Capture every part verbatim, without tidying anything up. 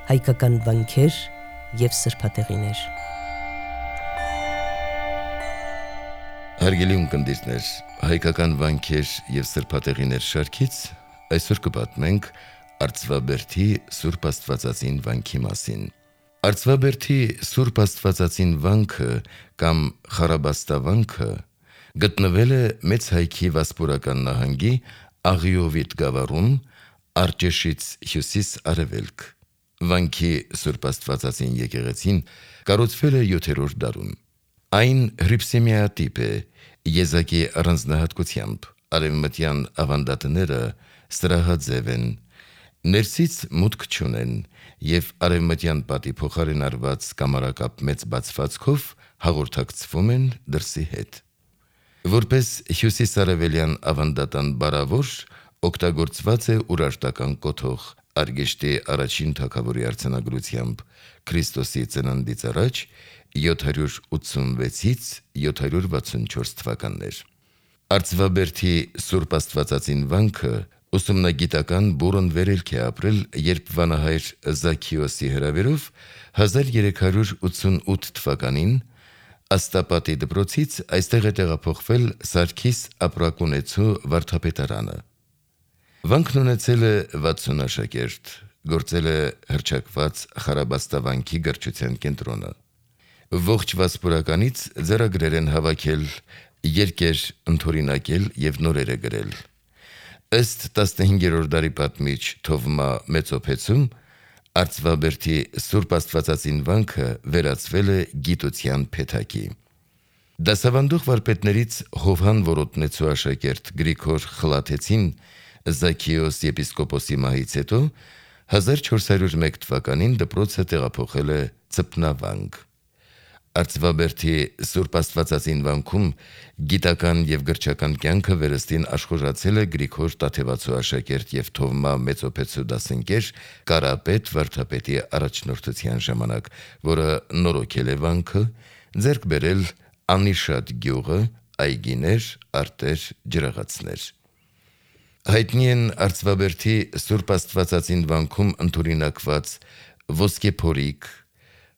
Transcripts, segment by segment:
հայկական վանքեր և սրբատեղիներ։ Հարգելի ունկնդիրներ, հայկական վանքեր և սրբատեղիներ շարքից այսօր կպատմենք Արծվաբերդի Սուրբ Աստվածածին վանքի մասին։ Արծվաբերդի Սուրբ Աստվածածին վանքը կամ Խարաբաստավանքը գտնվել է Մեծ Հայքի Վասպուրական նահանգի Աղիովիտ գավառում, Արջեշից հյուսիս-արևելք։ Վանքի Սուրբ Աստվածածին եկեղեցին կառուցվել է յոթերորդ դարում։ Այն հրիփսեմիատիպ է, եզակի առանձնահատկությամբ, արևմտյան ավանդատները սրահաձև են, ներսից մուտք չունեն և արևմտյան պատի փոխարեն արված կամարակապ մեծ բացվածքով հաղորդակցվում են դրսի հետ։ Որպես հյուսիսարևելյան ավանդատան բարավոր, օգտագործված է ուրարտական կոթող, Արգեշտի առաջին թագավորի արձանագրությամբ Քրիստոսի ծննդից առաջ յոթ հարյուր ութսունվեցից յոթ հարյուր վաթսունչորս թվականներ։ Արծվաբերդի Սուրբ Աստվածածին վանքը ուսումնագիտական բուռն վերելք է ապրել, երբ վանահայր Զաքիոսի հրավերով հազար երեք հարյուր ութսունութ թվականին Աստապատի դպրոցից այստեղ է տեղափոխվել Սարգիս ապրակունեցու վարդապետարանը։ Վանքն ունեցել է վաթսուն աշակերտ, գործել է հռչակված Խարաբաստավանքի գրչության կենտրոնը։ Ողջ Վասպուրականից ձեռագրեր են հավաքել, երկեր ընդօրինակել և նորեր է գրել։ Ըստ տասնհինգերորդ դարի պատմիչ Թովմա Մեծոփեցու, Արծվաբերդի Սուրբ Աստվածածին վանքը վերածվել է գիտության փեթակի։ Դասավանդող վարպետներից Հովհան Որոտնեցու աշակերտ Գրիգոր Խլաթեցին Զաքիոս եպիսկոպոսի մահից հետո հազար չորս հարյուր մեկ թվականին դպրոցը տեղափոխել է Ծփնավանք։ Արծվաբերդի Սուրբ Աստվածածին վանքում գիտական և գրչական կյանքը վերստին աշխուժացել է Գրիգոր Տաթևացու աշակերտ և Թովմա Մեծոփեցու դասընկեր Կարապետ վարդապետի առաջնորդության ժամանակ, որը նորոգել է վանքը, ձեռք բերել անիշատ գյուղը, այգիներ, արտեր, ջրաղացներ։ Հայտնի են Արծվաբերդի Սուրբ Աստվածածին վանքում ընդօրինակված ոսկեփորիկ,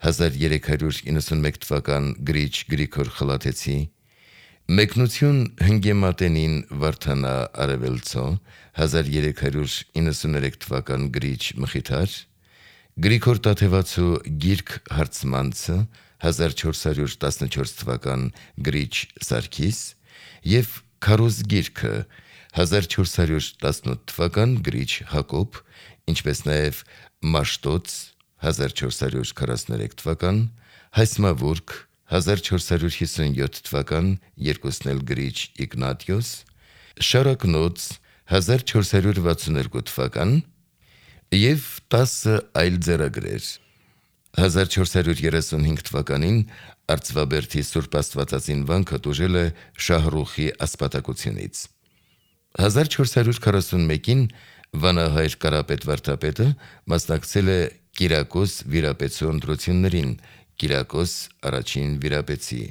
հազար երեք հարյուր իննսունմեկ թվական գրիչ Գրիգոր Խլաթեցի, մեկնություն Հնգեմատենին Վարդանա Արևելցո, հազար երեք հարյուր իննսուներեք թվական գրիչ Մխիթար, Գրիգոր Տաթևացու գիրք Հարցմանցը, հազար չորս հարյուր տասնչորս թվական գրիչ Սարգիս և Քարոզ գիրքը, հազար չորս հարյուր տասնութ թվական գրիչ Հակոբ, ինչպես նաև Մաշտոց, հազար չորս հարյուր քառասուներեք թվական, Հայսմավուրք, հազար չորս հարյուր հիսունյոթ թվական, երկուսն էլ գրիչ Իգնատիոս, Շարակնոց, հազար չորս հարյուր վաթսուներկու թվական և տասը այլ ձեռագրեր։ հազար չորս հարյուր երեսունհինգ թվականին Արծվաբերդի Սուրբ Աստվածածին վանքը տուժել է Շահրուխի ասպատակությունից։ հազար չորս հարյուր քառասունմեկին վանահայր Կարապետ վարդապետը մասնակցել է Կիրակոս վիրապետցու ընտրություններին, Կիրակոս առաջին վիրապետցի,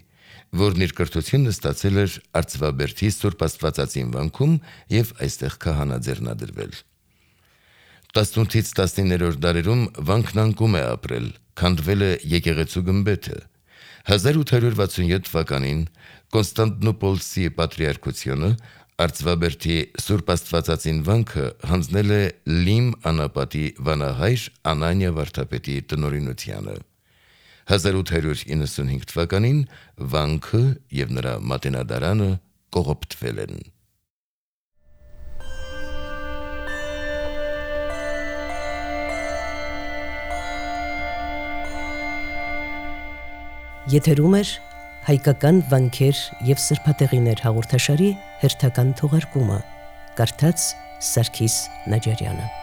որն իր կրթությունը ստացել էր Արծվաբերդի Սուրբ Աստվածածին վանքում և այստեղ քահանա ձեռնադրվել։ տասնութից տասնիններորդ դարերում վանքն անկում է ապրել, քանդվել է եկեղեցու գմբեթը։ հազար ութ հարյուր վաթսունյոթ թվականին Կոնստանտինոպոլսի պատրիարքությունը Արծվաբերդի Սուրբ Աստվածածին վանքը հանձնել է Լիմ անապատի վանահայր Անանիա վարդապետի տնօրինությանը։ հազար ութ հարյուր իննսունհինգ թվականին վանքը և նրա մատենադարանը կողոպտվել են։ Եթերում էր հայկական վանքեր և սրբատեղիներ հաղորդաշարի հերթական թողարկումը, կարդաց Սարգիս Նաջարյանը։